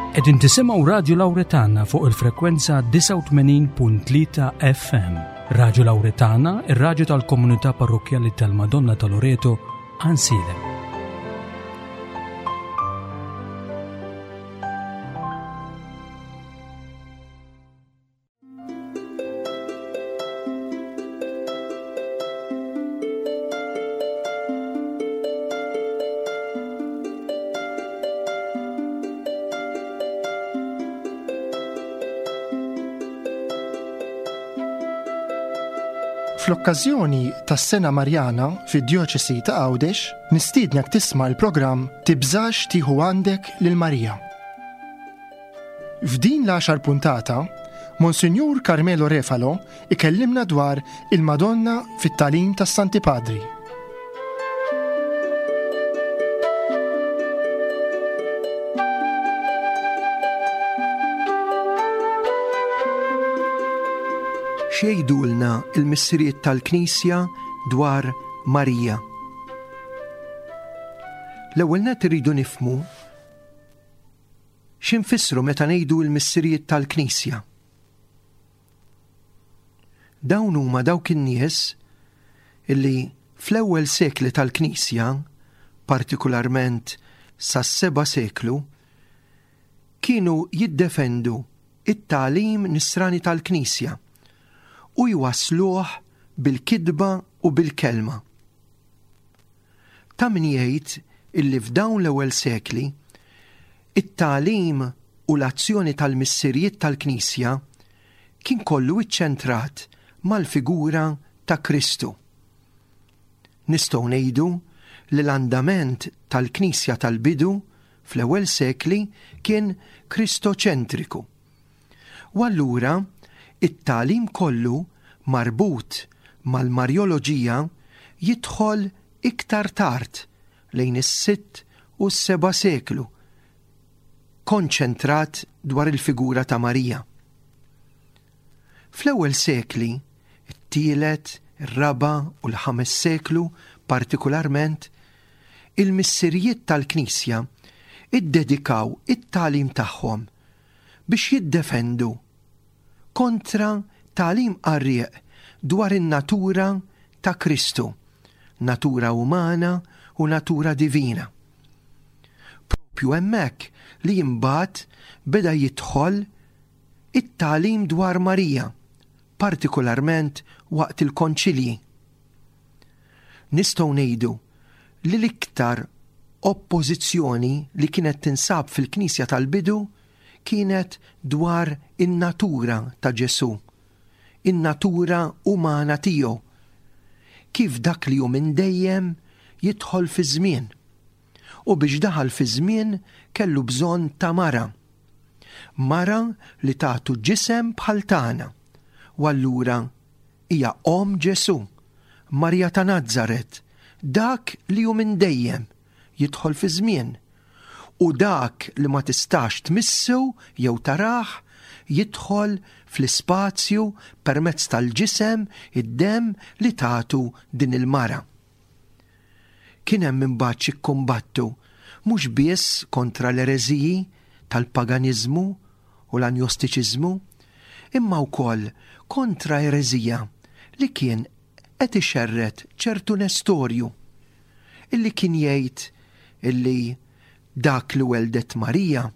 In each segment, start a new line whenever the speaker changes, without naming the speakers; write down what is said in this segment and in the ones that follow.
Qegħdin tisimgħu Radju Lawretana fuq il-frekwenza 89.3 FM. Radju Lawretana, ir-radju tal-komunità parrokkjali tal-Madonna ta' Loreto, Ansilem.
Fl-okkażjoni tas-Sena Marjana fid-Djoċesi ta' Għawdex, nistiednek tisma' l-programm Tibżax tieħu għandek lil Marija. F'din l-għaxar puntata, Monsinjur Carmelo Refalo ikellimna dwar il-Madonna fit-tagħlim tas-Santi Padri.
X'jgħidulna l-missirijiet tal-Knisja dwar Marija? L-ewwel nett irridu nifhmu Xi nfissru meta ngħidu l-Missirijiet tal-Knisja? Dawn huma dawk in-nies illi fl-ewwel sekli tal-Knisja, partikularment sas-seba' seklu, kienu jiddefendu it-tagħlim nisrani tal-Knisja u jwassluh bil-kitba u bil-kelma. Ta' min jgħid illi f'dawn l-ewwel sekli, it-tagħlim u l-azzjoni tal-Missirijiet tal-Knisja kien kollu iċċentrat mal-figura ta' Kristu. Nistgħu ngħidu li l-andament tal-Knisja tal-bidu fl-ewwel sekli kien Kristoċentriku. U allura it-tagħlim kollu marbut mal-Marjoloġija jidħol iktar tard lejn is-sitt u s-seba' seklu, konċentrat dwar il-figura ta' Marija. Fl-ewwel sekli, it-tielet, ir-raba' u l-ħames seklu partikularment, il-missirijiet tal-Knisja iddedikaw it-tagħlim tagħhom biex jiddefendu kontra tagħlim qarrieq dwar in-natura ta' Kristu, natura umana u natura divina. Propju hemmhekk li imbagħad beda jidħol it-tagħlim dwar Marija, partikularment waqt il-konċilji. Nistgħu ngħidu li l-iktar oppożizzjoni li kienet tinsab fil-Knisja tal-bidu kienet dwar in-natura ta' Ġesù, in-natura umana tiegħu, kif dak li hu minn dejjem jidħol fiż-żmien. U biex daħal fiż-żmien kellu bżonn ta' mara. Mara li tagħtu ġisem bħal tagħna. U allura hija omm Ġesù, Marija ta' Nazaret, dak li hu minn dejjem jidħol fiż-żmien, u dak li ma tistax tmissu jew tarah jidħol fl-ispazju permezz tal-ġisem, id-demm li tagħtu din il-mara. Kien hemm imbagħad xi kkumbattu mhux biss kontra l-ereżiji tal-paganiżmu u l-anjostiċiżmu, imma wkoll kontra ereżija li kien qed ixerred ċertu Nestorju, illi kien jgħid illi dak li welldet Marija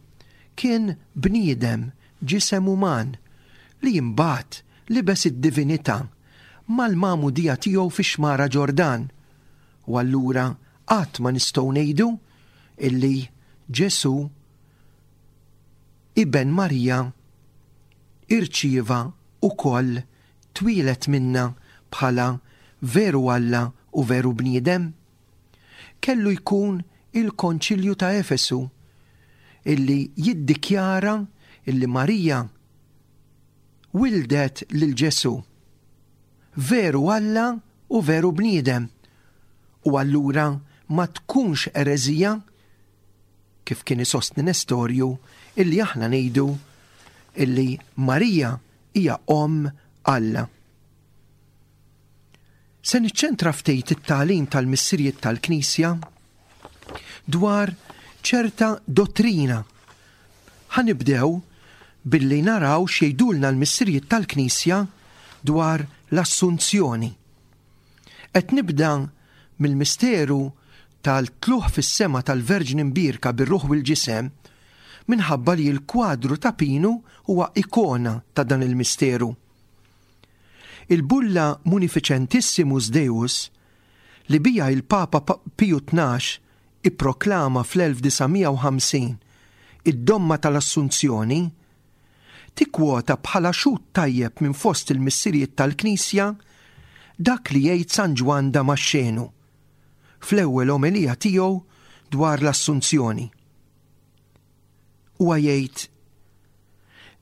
kien bniedem ġisem uman li imbagħad libes id-divinità mal-magħmudija tiegħu fix-xmara Ġordan, u allura qatt ma nistgħu ngħidu illi Ġesù Iben Marija irċieva wkoll twieled minnha bħala veru Alla u veru bniedem? Kellu jkun il-Konċilju ta' Efesu illi jiddikjara illi Marija wildet lil Ġesù, veru Alla u veru bniedem, u allura ma tkunx ereżija kif kien isostni Nestorju, illi aħna ngħidu illi Marija hija omm Alla. Se niċċentra ftit it-tagħlim tal-missirijiet tal-Knisja dwar ċerta dottrina. Ħa nibdew billi naraw x'jgħidulna l-missirijiet tal-Knisja dwar l-Assunzjoni. Qed nibda mill-misteru tal-tlugħ fis-sema tal-Verġni Mbierka bir-ruħ u l-ġisem minħabba li l-kwadru ta' Pinu huwa ikona ta' dan il-misteru. Il-bulla Munificentissimus Deus li biha il-Papa Piju 12 ipproklama fl-1950 id-domma tal-Assunzjoni, tikkwota bħala xhud tajjeb minn fost il-Missirijiet tal-Knisja dak li jgħid San Ġwann Damaxxenu fl-ewwel omelija tiegħu dwar l-Assunzjoni. Huwa jgħid,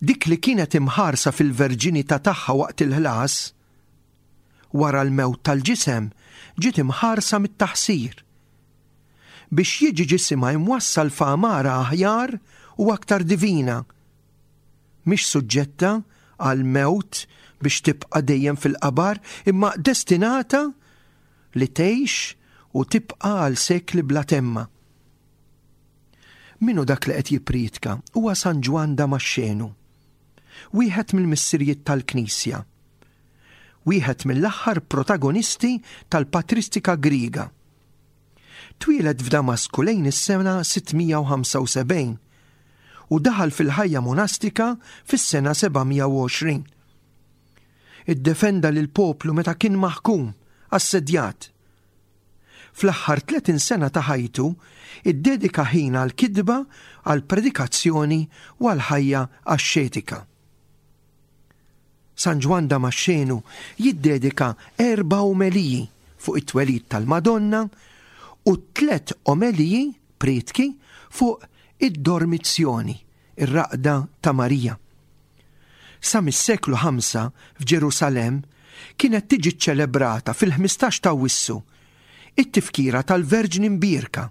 Dik li kienet imħarsa fil-verġinità tagħha waqt il-ħlas, wara l-mewt tal-ġisem ġiet imħarsa mit-taħsir. Biex jiġi ġisimha imwassal f'għamara aħjar u aktar divina. Mhix suġġetta għall-mewt biex tibqa' dejjem fil-qabar imma destinata li tgħix u tibqa' għal sekli bla temma. Min hu dak li qed jippriedka? Huwa San Ġwann Damaxxenu, wieħed mill-missirijiet tal-Knisja. Wieħed mill-aħħar protagonisti tal-patristika Griega. Twieled f'Damasku lejn is-sena 675 u daħal fil-ħajja monastika fis-sena 720. Iddefenda lill-poplu meta kien maħkum, assedjat. Fl-aħħar 30 sena ta' ħajtu, iddedika ħin għall-kitba, għall-predikazzjoni u għall-ħajja axxetika. San Ġwann Damaxxenu jiddedika erba' omeliji fuq it-twelid tal-Madonna u tlett omeliji, prietki, fuq id-dormizzjoni, ir-raqda ta' Marija. Sa mis-seklu ħamsa f'Ġerusalemm kienet tiġi ċċelebrata fil-15 t'Awwissu it-tifkira tal-Verġni Mbierka,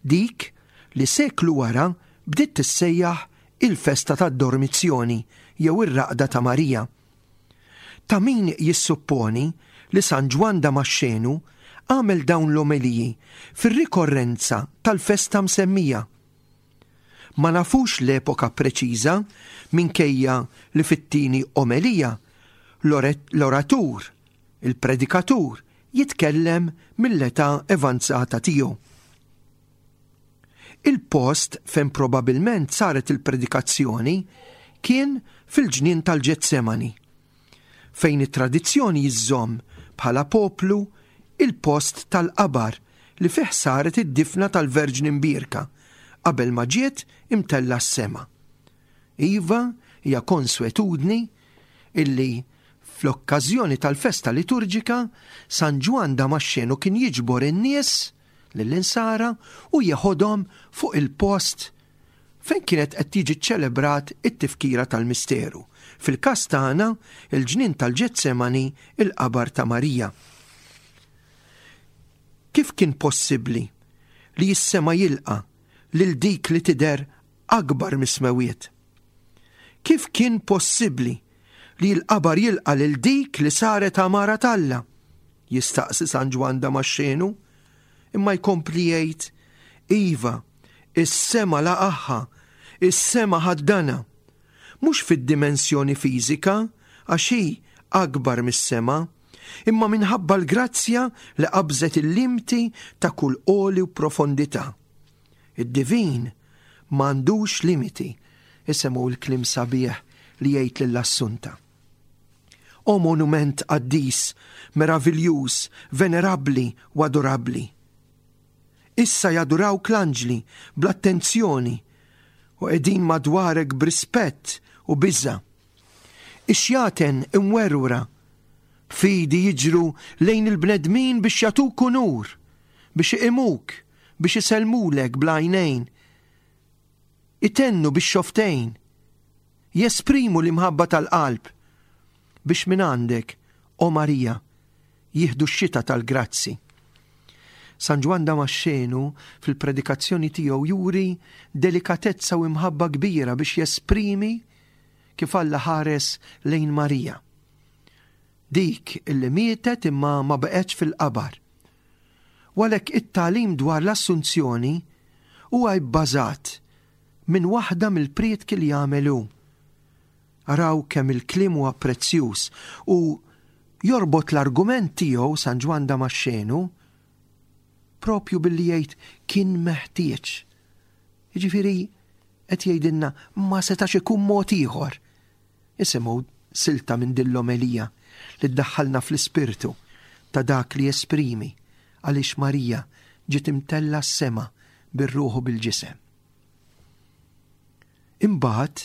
dik li seklu wara bdiet tissejjaħ il-festa tad-Dormizzjoni jew ir-Raqda ta' Marija. Ta' min jissupponi li San Ġwann Damaxxenu għamel dawn l-omeliji fir-rikorrenza tal-festa msemmija. Ma nafux l-epoka preċiża minkejja li fit-tieni omelija l-oratur, il-predikatur, jitkellem mill-età evanzata tiegħu. Il-post fejn probabilment saret il-predikazzjoni kien fil-ġnien tal-Ġetsemani, fejn it-tradizzjoni jżżomm bħala poplu il-post tal-qabar li fih saret id-difna tal-Verġni Mbierka qabel ma ġiet imtellgħa s-sema. Iva, hija konswetudni illi fl-okkażjoni tal-festa liturġika San Ġwann Damaxxenu kien jiġbor in-nies lill-Insara u jeħodhom fuq il-post fejn kienet qed tiġi ċċelebrat it-tifkira tal-misteru. Fil-każ tagħna, il-ġnien tal-Ġetsemani, il-qabar ta' Marija. Kif kien possibbli li s-sema jilqa' lil dik li tidher akbar mis-smewiet? Kif kien possibbli li l-qabar jilqa' lil dik li saret għamara t'Alla? Jistaqsi San Ġwann Damaxxenu, imma jkompli jgħid, Iva, is-sema laqagħha, is-sema ħaddanha. Mhux fid-dimensjoni fiżika, għax hi akbar mis-sema, imma minħabba l-grazzja li qabżet il-limti ta' kull għoli u profondità. Id-divin m'għandux limiti, isemgħu l-kliem sabiħ li jgħid lil Assunta. O monument qaddis, meraviljuż, venerabbli u adorabbli! Issa jadurawk l-anġli bl-attenzjoni u qegħdin madwarek b'rispett u biża'. Ix-xjaten imwerwra b'fidi jiġru lejn il-bnedmin biex jagħtuk unur, biex iqimuk, biex isellmulek bl-għajnejn, itennu bix-xofftejn, jesprimu l-imħabba tal-qalb biex mingħandek, O Marija, jieħdu x-xita tal-grazzi. San Ġwann Damaxxenu fil-predikazzjoni tiegħu juri delikatezza u imħabba kbira biex jesprimi kif Alla ħares lejn Marija. Dik illi mietet imma ma baqgħetx fil-qabar. U għalhekk it-tagħlim dwar l-Assunzjoni huwa bbażat. minn waħda mill-prietki li jagħmel hu. Araw kemm il-kliem huwa prezzjuż u jorbot l-argument tiegħu San Ġwann Damaxxenu propju billi jgħid kien meħtieġ. Jiġifieri qed jgħidilna ma setax ikun mod ieħor. Isimgħu silta minn din l-omelija li ddaħħalna fl-ispirtu ta' dak li jesprimi għaliex Marija ġiet imtellgħa s-sema bir-ruħ u bil-ġisem. Imbagħad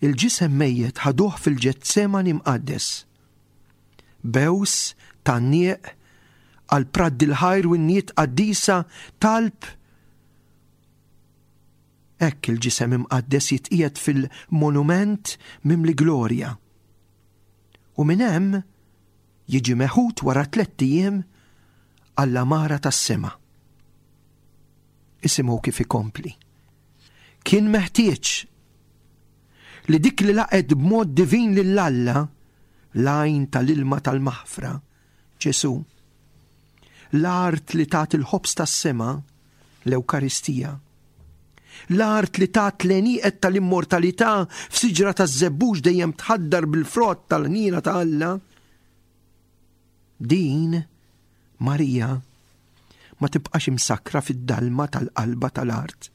il-ġisem mejjet ħaduh fil-Ġetsemani mqaddes. Bews, tgħanniq, għal pradd il-ħajr u innijiet qaddisa, talb, Hekk il-ġisem imqaddes jitqiegħed fil-monument mimli glorja. U minn hemm jiġi meħud wara tlett ijiem għall-għamara tas-sema. Isimgħu kif ikompli. Kien meħtieġ li dik li laqgħet b'mod divin lil Alla, l-għajn tal-ilma tal-maħfra, Ġesù, l-art li tat il-ħobż tas-sema, l-Ewkaristija, l-art li tat l-għenieqed tal-immortalità f'siġra taż-żebbuġ dejjem tħaddar bil-frott tal-ħniena ta' Alla, din Marija ma tibqax imsakkra fid-dalma tal-qalba tal-art.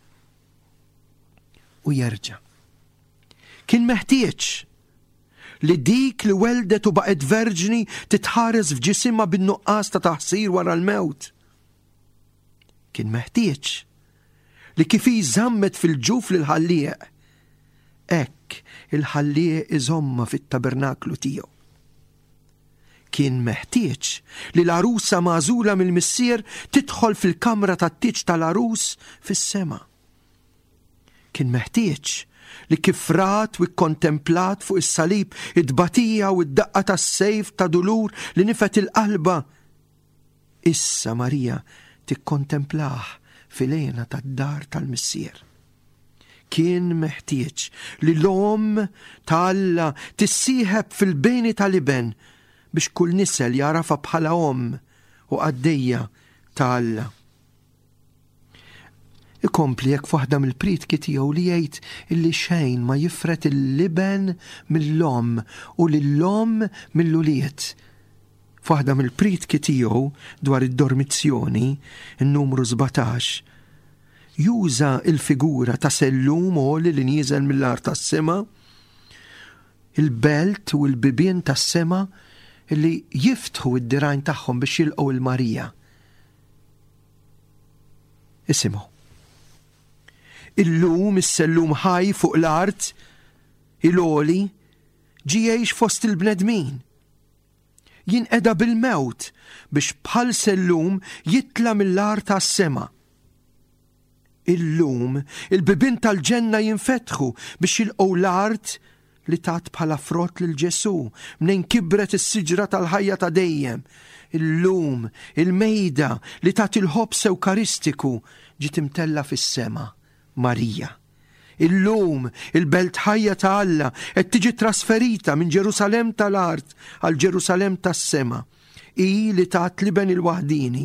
U jerġa'. Kien meħtieġ li dik li weldet u baqgħet verġni titħares f'ġisimha bin-nuqqas ta' taħsir wara l-mewt. Kien meħtieġ li kif hi żammet fil-ġuf lill-Ħallieq, hekk il-Ħallieq iżommha fit-tabernaklu tiegħu. Kien meħtieġ li l-għarusa magħżula mill-Missier tidħol fil-kamra tat-tieġ tal-għarus fis-sema. Kien meħtieġ li kif rat u kkontemplat fuq is-salib it-tbatija u d-daqqa tas-sejf ta' dulur li nifed il-qalba, issa Marija tikkontemplah fil-hena tad-dar tal-Missier. Kien meħtieġ li l-Omm ta' Alla tissieħeb fil-beni tal-Iben biex kull nisel jagħrafha bħala Omm u qaddejja ta' Alla. Ikompli hekk f'waħda mill-prietki tiegħu li jgħid illi xejn ma jifred il-Iben mill-Omm u lill-Omm mill-ulied. F'waħda mill-prietki tiegħu dwar id-dormizzjoni, in-numru 17, juża l-figura ta' sellum għoli li nieżel mill-art għas-sema, il-belt u l-bibien tas-sema li jiftħu d-dirgħajn tagħhom biex jilqgħu 'l Marija. Isimgħu. Illum is-sellum ħaj fuq l-art, il-għoli, ġie jgħix fost il-bnedmin. Jinqeda bil-mewt biex bħal sellum jitla' mill-art għas-sema. Illum il-bibien tal-ġenna jinfetħu biex jilqgħu l-art li tat bħala frott lil Ġesù, mnejn kibret is-siġra tal-ħajja ta' dejjem. Illum il-mejda li tat il-ħobż Ewkaristiku ġiet imtellgħa fis-sema, Marija. Illum il-belt ħajja ta' Alla qed tiġi trasferita minn Ġerusalemm tal-art għal Ġerusalemm tas-sema. Hi li tat l-Iben il-waħdieni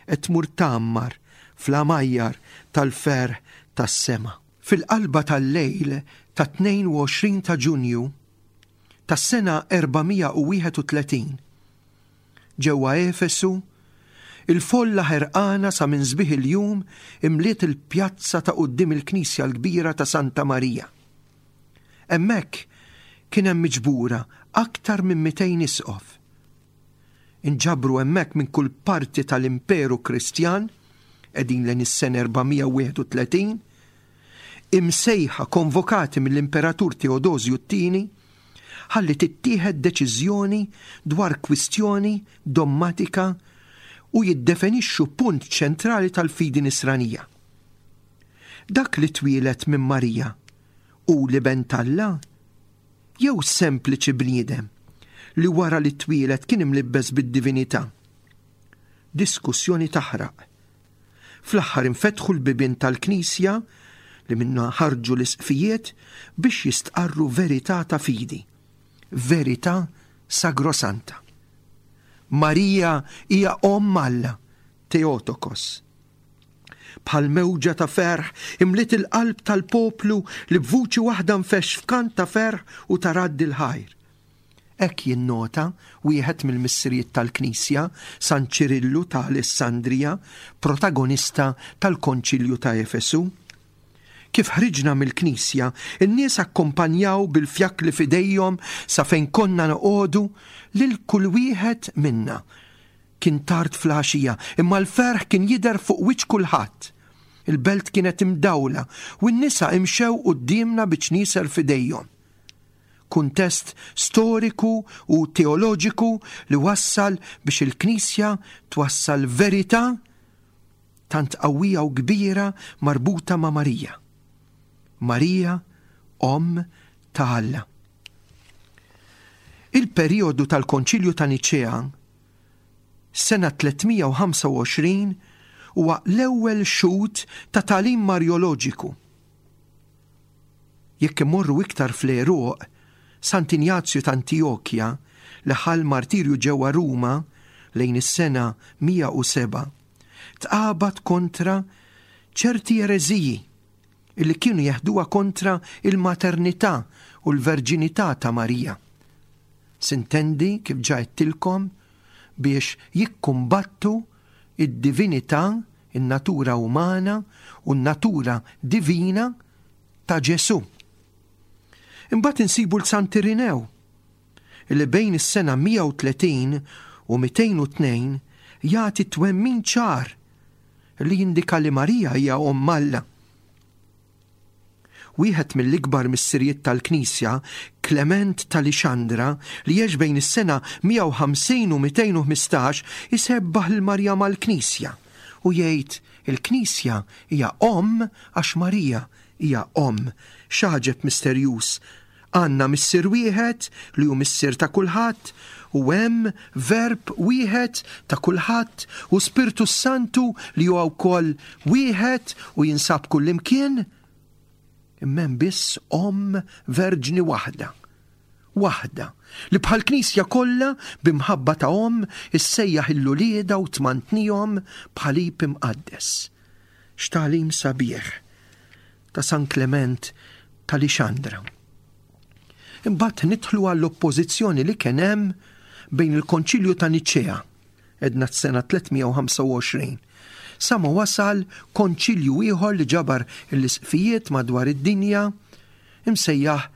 qed tmur tgħammar fl-għamajjar tal-ferħ tas-sema. Fil-qalba tal-lejl tat-22 ta' Ġunju tas-sena 431, ġewwa Efesu, il-folla ħerqana sa minn sbieħ il-jum imliet il-pjazza ta' quddiem il-knisja l-kbira ta' Santa Marija. Hemmhekk kien hemm miġbura aktar minn 200 isqof. Inġabru hemmhekk minn kull parti tal-Imperu Kristjan, qegħdin lejn is-sena 431, imsejħa konvokati mill-Imperatur Teodosju t-Tieni, ħalli tittieħed deċiżjoni dwar kwistjoni dommatika u jiddefenixxu punt ċentrali tal-fidi Nisranija. Dak li twieled minn Marija hu l-Iben t'Alla jew sempliċi bniedem li wara li twieled kien imlibbes bid-divinità? Diskussjoni taħraq. Fl-aħħar infetħu l-bibien tal-knisja li minnha ħarġu l-isqfijiet biex jistqarru verità ta' fidi, verità sagrosanta. Marija hija Omm Alla, Theotokos. Bħal mewġa ta' ferħ imliet il-qalb tal-poplu li b'vuċi waħda nfexx f'kant ta' ferħ u ta' radd il-ħajr. Hekk jinnota wieħed mill-Missirijiet tal-Knisja, San Ċirillu ta' Alessandrija, protagonista tal-Konċilju ta' Efesu. Kif ħriġna mill-knisja, in-nies akkumpanjaw bil-fjakkli f'idejhom sa fejn konna noqogħdu lil kull wieħed minna. Kien tard fl-għaxija, imma l-ferħ kien jidher fuq wiċċ kulħadd. Il-belt kienet imdawla u n-nisa imxew quddiemna bi ċnieser f'idejhom. Kuntest storiku u teoloġiku li wassal biex il-Knisja twassal verità tant qawwija u kbira marbuta ma' Marija. Marija, Omm ta' Alla. Il-perijodu tal-Konċilju ta' Niċea, sena 325, huwa l-ewwel xhud ta' tagħlim Marjoloġiku. Jekk immorru iktar fl-għeruq, Sant'Injazju t'Antijokja, li ħa l-martirju ġewwa Ruma lejn is-sena 107, tqabad kontra ċerti ereżiji li kienu jeħduha kontra l-maternità u l-verġinità ta' Marija. Sintendi, kif ġa għedtilkom, biex jikkumbattu d-divinità, in-natura umana u n-natura divina ta' Ġesù. Imbagħad insibu 'l Sant'Irinew, li bejn is-sena 130 u 202 jagħti twemmin ċar li jindika li Marija hija Omm Alla. Wieħed mill-ikbar missirijiet tal-Knisja, Klement ta' Lixandra, li għex bejn is-sena 150 u 215, isebbaħ lil Marija mal-Knisja u jgħid, Il-Knisja hija omm għax Marija hija omm. X'għaġeb misterjuż! Għandna Missier wieħed li hu Missier ta' kulħadd u hemm Verb wieħed ta' kulħadd u Spirtu s-Santu li huwa wkoll wieħed u jinsab kullimkien. Imma hemm biss Omm Verġni waħda. Waħda, li bħall-Knisja kollha bi mħabba ta' omm issejjaħ 'l uliedha u tmantnihom b'ħalib imqaddes. X'tagħlim sabiħ! ta' San Klement ta' Lixandra. Imbagħad nidħlu għall-oppożizzjoni li kien hemm bejn il-Konċilju ta' Niċea, edna s-sena 325, sa ma wasal konċilju ieħor li ġabar l-isqfijiet madwar id-dinja imsejjaħ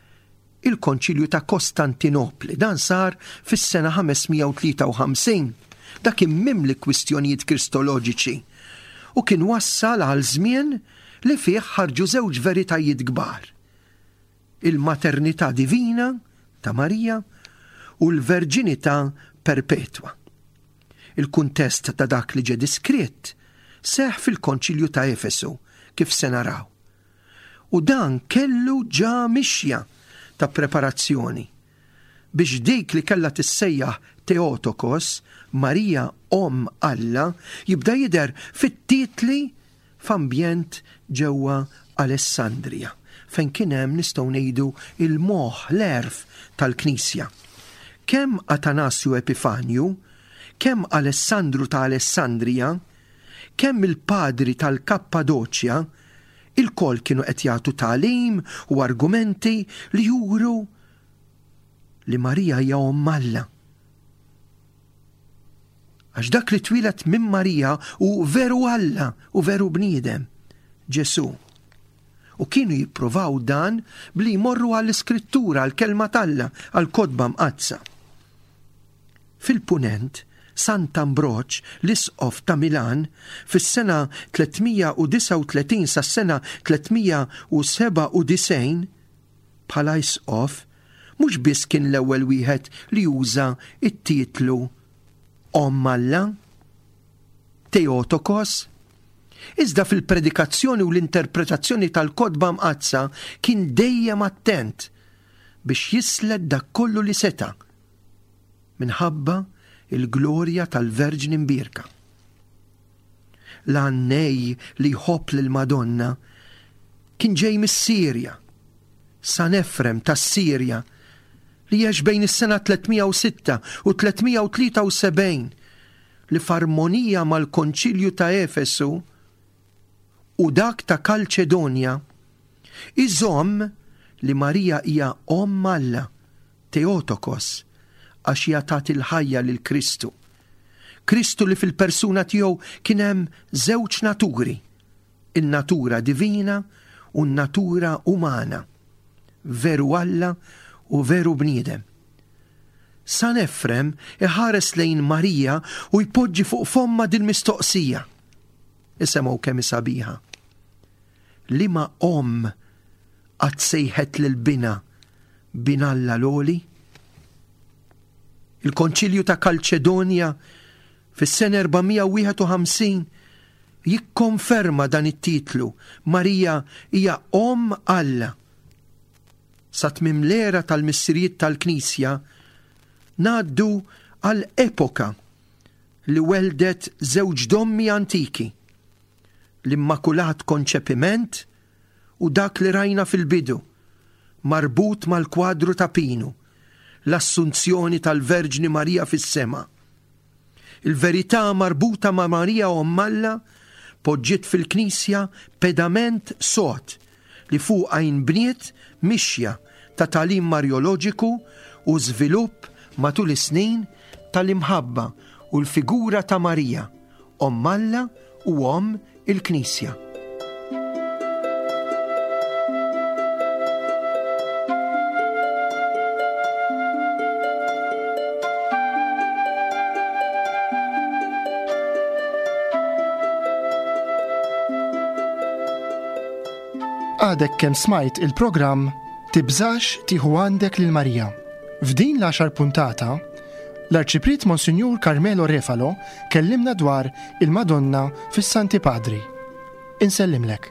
il-Konċilju ta' Kostantinopli. Dan sar fis-sena 553. Dak kien mimli kwistjonijiet kristoloġiċi u kien wassal għal żmien li fih ħarġu żewġ veritajiet kbar, il-maternità divina ta' Marija u l-verġinità perpetwa. Il-kuntest ta' dak li ġie diskritt seħħ fil-Konċilju ta' Efesu, kif se naraw. U dan kellu ġa mixja ta' preparazzjoni biex dik li kellha tissejjaħ Theotokos, Marija Omm Alla, jibda jidher fit-titli f'ambjent ġewwa Alessandrija, fejn kien hemm nistgħu ngħidu il-moħħ, l-għerf tal-Knisja. Kemm Atanasju Epifanju, kemm Alessandru ta' Alessandrija, kemm il-padri tal-Kappadoċja, ilkoll kienu qed jagħtu tagħlim u argumenti li juru li Marija hija Omm Alla. Għax dak li twieled minn Marija hu veru Alla u veru bniedem, Ġesù. U kienu jippruvaw dan bli jmorru għall-Iskrittura, għall-Kelma t'Alla, għall-Kotba Mqaddsa. Fil-Punent, Sant'Ambroġ, l-Isqof ta' Milan, fis-sena 339 sas-sena 397, bħala isqof, mhux biss kien l-ewwel wieħed li uża t-titlu Omm Alla, Theotokos, iżda fil-predikazzjoni u l-interpretazzjoni tal-Kotba Mqaddsa kien dejjem attent biex jislet dak kollu li seta' minħabba l-glorja tal-Verġni Mbierka. L-għannej li jħobb lill-Madonna kien ġej mis-Sirja, San Efrem tas-Sirja, li għex bejn is-sena 306 u 373, li f'armonija mal-Konċilju ta' Efesu. u dak ta' Kalċedonja, iżomm li Marija hija Omm Alla, Theotokos, għax hija tat il-ħajja lil Kristu. Kristu li fil-persuna tiegħu kien hemm żewġ naturi, in-natura divina u n-natura umana, veru Alla u veru bniedem. San Efrem iħares lejn Marija u jpoġġi fuq fommha dil-mistoqsija. Isemgħu kemm hi sabiħa. Liema omm qatt sejħet lil binha bin Alla l-Għoli? Il-Konċilju ta' Kalċedonja fis-sena 451 jikkonferma dan it-titlu, Marija hija Omm Alla. Sa tmiem l-era tal-Missirijiet tal-Knisja, ngħaddu għal epoka li welldet żewġ dommi antiki, l-Immakulat Konċepiment u dak li rajna fil-bidu, marbut mal-kwadru ta' Pinu, l-Assunzjoni tal-Verġni Marija fis-sema. Il-verità marbuta ma' Marija Omm Alla poġġiet fil-Knisja pedament sod li fuqha inbniet mixja ta' tagħlim Marjoloġiku u żvilupp matul is-snin tal-imħabba u l-figura ta' Marija, Omm Alla u Omm il-Knisja.
Għadek kemm smajt il-programm Tibżax tieħu għandek lil Marija. F'din l-għaxar puntata, l-Arċipriet Monsinjur Carmelo Refalo kellimna dwar il-Madonna fis-Santi Padri. Insellimlek.